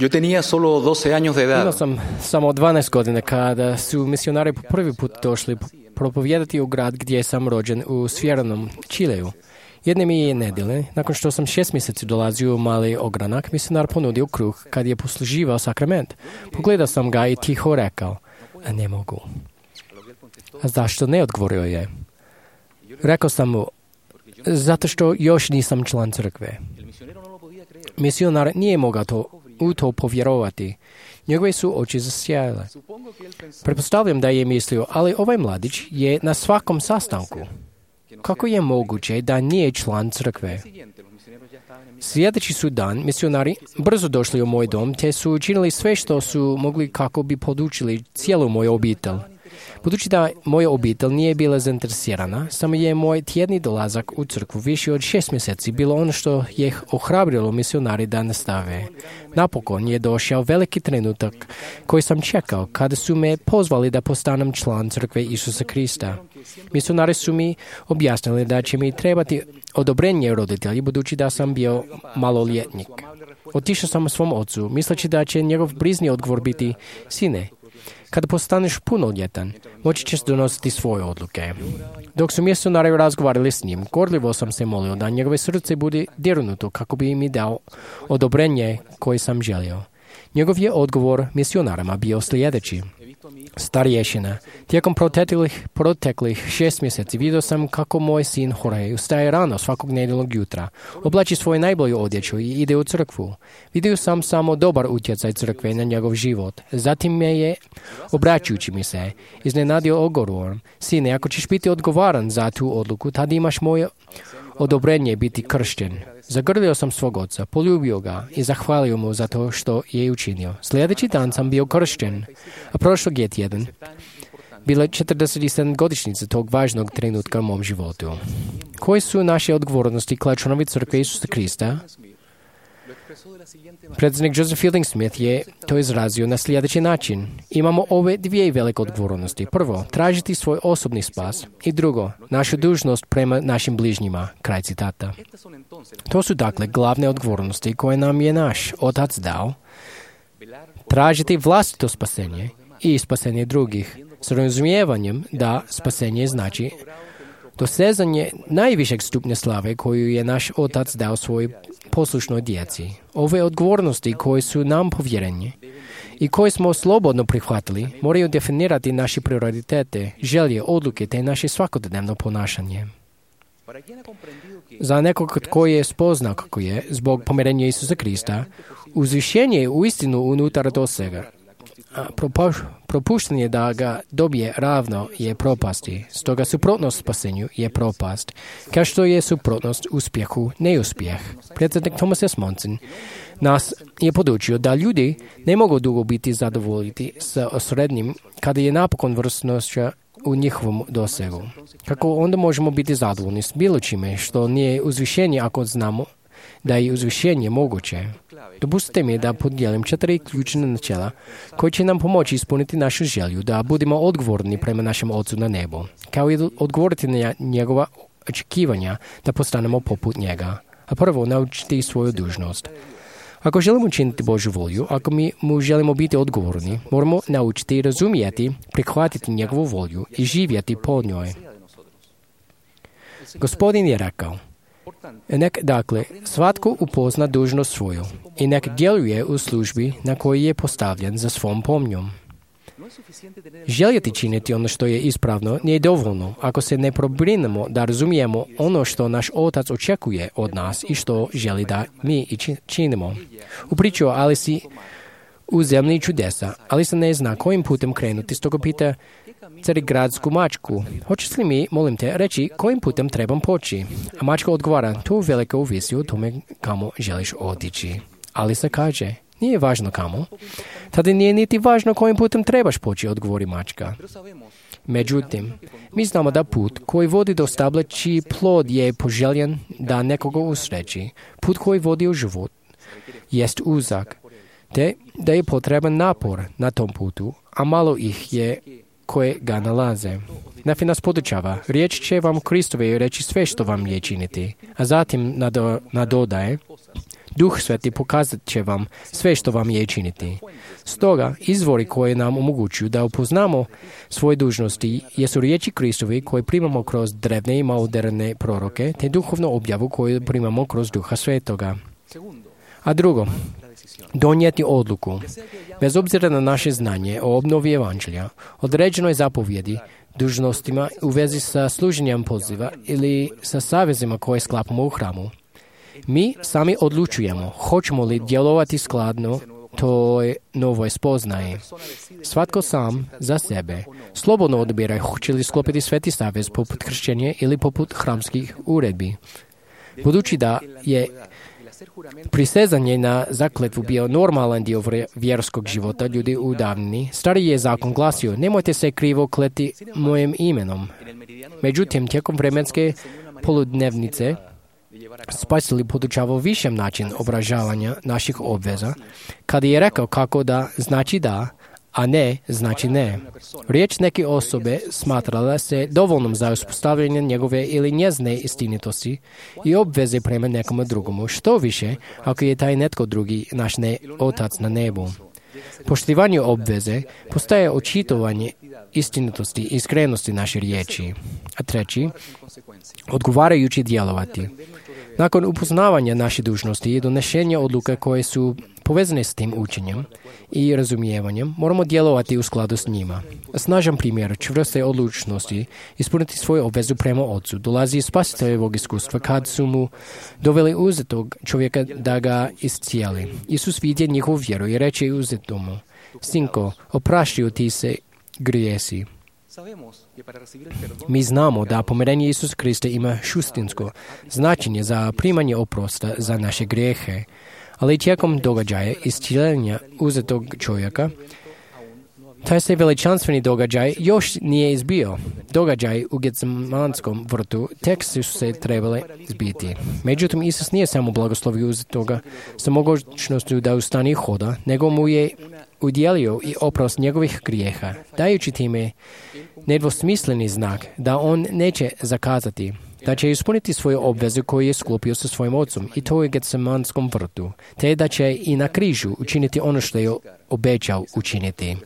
Yo tenía solo 12 años de Imao edad. sam samo 12 godina kada su misionari po prvi put došli propovijedati u grad gdje sam rođen u Sjevernom Čileju. Jedne mi je nedjelje, nakon što sam 6 mjeseci dolazio u mali ogranak, misionar ponudio kruh kad je posluživao sakrament. Pogledao sam ga i tiho rekao, a ne mogu. A zašto ne, odgovorio je. Rekao sam mu, zato što još nisam član crkve. Misionar nije mogao u to povjerovati. Njegove su oči zasjajale. Pretpostavljam da je mislio, ali ovaj mladić je na svakom sastanku. Kako je moguće da nije član crkve? Sljedeći su dan, misionari brzo došli u moj dom, te su učinili sve što su mogli kako bi podučili cijelu moju obitelj. Budući da moja obitelj nije bila zainteresirana, samo je moj tjedni dolazak u crkvu više od 6 mjeseci bilo ono što je ohrabrilo misionari da nastave. Napokon je došao veliki trenutak koji sam čekao kada su me pozvali da postanem član crkve Isusa Krista. Misionari su mi objasnili da će mi trebati odobrenje roditelji budući da sam bio maloljetnik. Otišao sam svom ocu, misleći da će njegov brižni odgovor biti, sine, kada postaneš punoljetan, moći ćeš donositi svoje odluke. Dok su misionari razgovarali s njim, gorljivo sam se molio da njegove srce bude dirnuto kako bi mi dao odobrenje koje sam želio. Njegov je odgovor misionarama bio sljedeći. Starješina, tijekom proteklih 6 mjeseci vidio sam kako moj sin Jorge ustaje rano svakog nedjeljnog jutra, oblači svoju najbolju odjeću i ide u crkvu. Vidio sam samo dobar utjecaj crkve na njegov život. Zatim me je, obraćujući mi se, iznenadio odgovorom, sine, ako ćeš biti odgovoran za tu odluku, tad imaš moje odobrenje biti kršten. Zagrlio sam svog oca, poljubio ga i zahvalio mu za to što je učinio. Sljedeći dan sam bio kršten, a prošlog je tjedan bila 47 godišnjica tog važnog trenutka u mom životu. Koje su naše odgovornosti kao članovi crkve Isusa Krista? Predsjednik Joseph Fielding Smith je to izrazio na sljedeći način. Imamo ove dvije velike odgovornosti. Prvo, tražiti svoj osobni spas i drugo, našu dužnost prema našim bližnjima. Kraj citata. To su dakle glavne odgovornosti koje nam je naš Otac dao. Tražiti vlastito spasenje i spasenje drugih s razumijevanjem da spasenje znači dosezanje najvišeg stupnja slave koju je naš Otac dao svojoj poslušnoj djeci. Ove odgovornosti koje su nam povjerene i koje smo slobodno prihvatili moraju definirati naše prioritete, želje, odluke te naše svakodnevno ponašanje. Za nekog tko je spoznao kako je, zbog pomirenja Isusa Krista, uzvišenje je uistinu unutar dosega. Propuštanje da ga dobije ravno je propasti. Stoga suprotnost spasenju je propast, kao što je suprotnost uspjehu neuspjeh. Predsjednik Thomas S. Monson nas je podučio da ljudi ne mogu dugo biti zadovoljiti sa osrednjim kada je napokon vrstnoća u njihovom dosegu. Kako onda možemo biti zadovoljni s bilo čime što nije uzvišenje ako znamo da je uzvišenje moguće? Dopustite mi da podijelim 4 ključne načela koje će nam pomoći ispuniti našu želju da budemo odgovorni prema našem Ocu na nebu, kao i odgovoriti na njegova očekivanja da postanemo poput njega. A prvo, naučiti svoju dužnost. Ako želimo učiniti Božju volju, ako mi mu želimo biti odgovorni, moramo naučiti razumijeti, prihvatiti njegovu volju i živjeti po njoj. Gospodin je rekao, nek dakle svatko upozna dužnost svoju i nek djeluje u službi na kojoj je postavljen za svom pomnjom. Željeti činiti ono što je ispravno nije dovoljno ako se ne pobrinemo da razumijemo ono što naš Otac očekuje od nas i što želi da mi i činimo. U priču o Alisi u zemlji čudesa, Alisa ne zna kojim putem krenuti, stoga pita carigradsku mačku, hoćeš li mi, molim te, reći kojim putem trebam poći? A mačka odgovara, to veliko ovisi o tome kamo želiš otići. Alisa kaže, nije važno kamo. Tada nije niti važno kojim putem trebaš poći, odgovori mačka. Međutim, mi znamo da put koji vodi do stabla čiji plod je poželjen da nekoga usreći, put koji vodi u život, jest uzak, te da je potreban napor na tom putu, a malo ih je koje ga nalaze. Nafi nas podučava, riječ će vam Kristove reći sve što vam je činiti, a zatim nadodaje, Duh Sveti pokazat će vam sve što vam je činiti. Stoga, izvori koje nam omogućuju da upoznamo svoje dužnosti jesu riječi Kristovi koje primamo kroz drevne i moderne proroke, te duhovnu objavu koju primamo kroz Duha Svetoga. A drugo, donijeti odluku. Bez obzira na naše znanje o obnovi evanđelja, određenoj zapovjedi, dužnostima u vezi sa služenjem poziva ili sa savezima koje sklapamo u hramu. Mi sami odlučujemo hoćemo li djelovati skladno toj novoj spoznaji. Svatko sam za sebe slobodno odabira hoće li sklopiti sveti savez poput kršćenja ili poput hramskih uredbi. Budući da je prisezanje na zakletvu bio normalan dio vjerskog života ljudi u davnini, stari je zakon glasio, nemojte se krivo kleti mojim imenom. Međutim, tijekom vremenske poludnevnice, Spasitelj podučavao višem način obražavanja naših obveza, kada je rekao kako da znači da, a ne znači ne. Riječ neke osobe smatrala se dovoljnom za uspostavljanje njegove ili njezine istinitosti i obveze prema nekomu drugomu. Što više, ako je taj netko drugi naš Otac na nebu. Poštivanje obveze postaje očitovanje istinitosti i iskrenosti naše riječi. A treći, odgovarajući djelovati. Nakon upoznavanja naše dužnosti i donešenja odluke koje su povezane s tim učenjem i razumijevanjem, moramo djelovati u skladu s njima. Snažan primjer čvrste odlučnosti ispuniti svoju obvezu prema Otcu dolazi iz Spasiteljevog iskustva kad su mu doveli uzetog čovjeka da ga iscijeli. Isus vidje njihovu vjeru i reče uzetomu, sinko, opraštaju ti se grijesi. Mi znamo da pomirenje Isusa Krista ima suštinsko značenje za primanje oprosta za naše grijehe, ali tijekom događaja iscijeljenja uzetog čovjeka, taj se veličanstveni događaj još nije izbio. Događaj u Getsemanskom vrtu tek su se trebale zbiti. Međutim, Isus nije samo blagoslovio uzetoga sa mogućnošću da ustane i hoda, nego mu je udjelio i oprost njegovih grijeha, dajući time nedvosmisleni znak da on neće zakazati, da će ispuniti svoju obvezu koju je sklopio sa svojim ocom i to u Getsemanskom vrtu, te da će i na križu učiniti ono što je obećao učiniti.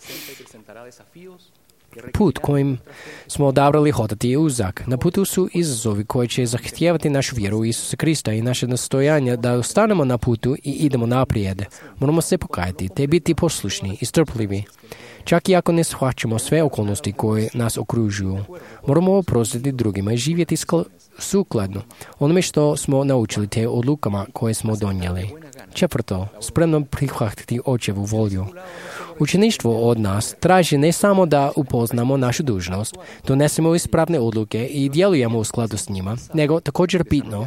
Put kojim smo odabrali hodati je uzak. Na putu su izazovi koji će zahtijevati našu vjeru u Isusa Krista i naše nastojanje da ostanemo na putu i idemo naprijed. Moramo se pokajati, te biti poslušni i strpljivi. Čak i ako ne shvaćamo sve okolnosti koje nas okružuju, moramo oprostiti drugima i živjeti sukladno onome što smo naučili te odlukama koje smo donijeli. Četvrto, spremno prihvatiti Očevu volju. Učeništvo od nas traži ne samo da upoznamo našu dužnost, donesemo ispravne odluke i djelujemo u skladu s njima, nego također bitno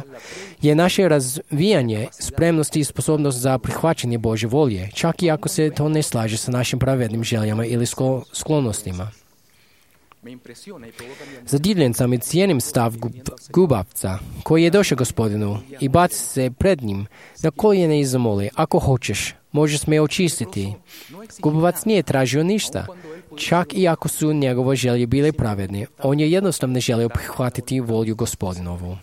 je naše razvijanje spremnosti i sposobnost za prihvaćanje Božje volje, čak i ako se to ne slaže sa našim pravednim željama ili sklonostima. Zadivljen sam i cijenim stav gubavca koji je došao Gospodinu i baci se pred njim na koljene i zamoli, ako hoćeš, možeš me očistiti. Gubavac nije tražio ništa, čak i ako su njegove želje bile pravedne. On je jednostavno želio prihvatiti volju Gospodinovu.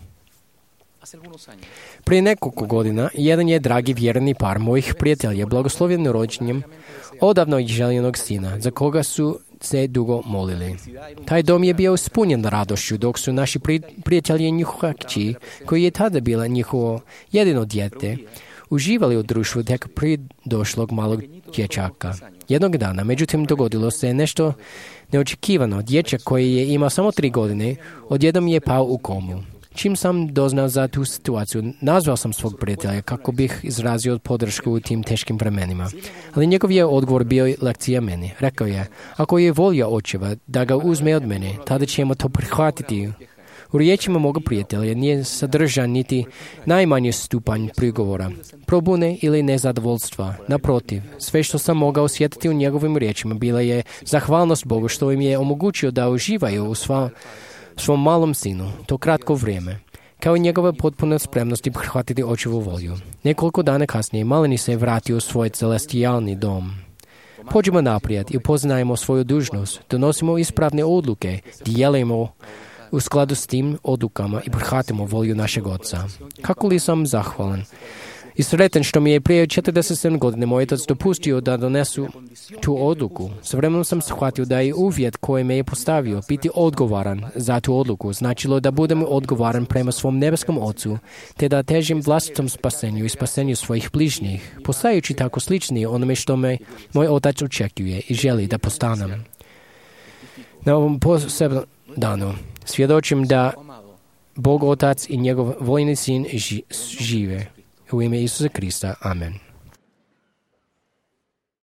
Prije nekoliko godina, jedan je dragi vjerni par mojih prijatelja blagoslovljen rođenjem odavno željenog sina, za koga su se dugo molili. Taj dom je bio ispunjen radošću, dok su naši prijatelji i njihova kći, koji je tada bila njihovo jedino dijete, uživali u društvu tek pridošlog malog dječaka. Jednog dana, međutim, dogodilo se nešto neočekivano. Dječak koji je imao samo 3 godine, odjednom je pao u komu. Čim sam doznao za tu situaciju, nazvao sam svog prijatelja kako bih izrazio podršku u tim teškim vremenima. Ali njegov je odgovor bio lekcija meni. Rekao je, ako je volja Očeva da ga uzme od mene, tada ćemo to prihvatiti. U riječima moga prijatelja nije sadržan niti najmanji stupanj prigovora, probune ili nezadovoljstva. Naprotiv, sve što sam mogao osjetiti u njegovim riječima bila je zahvalnost Bogu što im je omogućio da uživaju u svom malom sinu, to kratko vrijeme, kao i njegova potpuna spremnost prihvatiti Očevu volju. Nekoliko dana kasnije maleni se vratio u svoj celestijalni dom. Pođimo naprijed i upoznajemo svoju dužnost, donosimo ispravne odluke, djelujemo u skladu s tim odlukama i prihvatimo volju našeg Oca. Kako li sam zahvalan I sretan što mi je prije 47 godine moj otac dopustio da donesu tu odluku. S vremenom sam shvatio da je uvjet koji me je postavio biti odgovoran za tu odluku značilo da budem odgovoran prema svom nebeskom Ocu, te da težim vlastitom spasenju i spasenju svojih bližnjih, postajući tako slični onome što me moj otac očekuje i želi da postanem. Na ovom posebnom danu svjedočim da Bog Otac i njegov vojni sin žive. U ime Isusa Krista. Amen.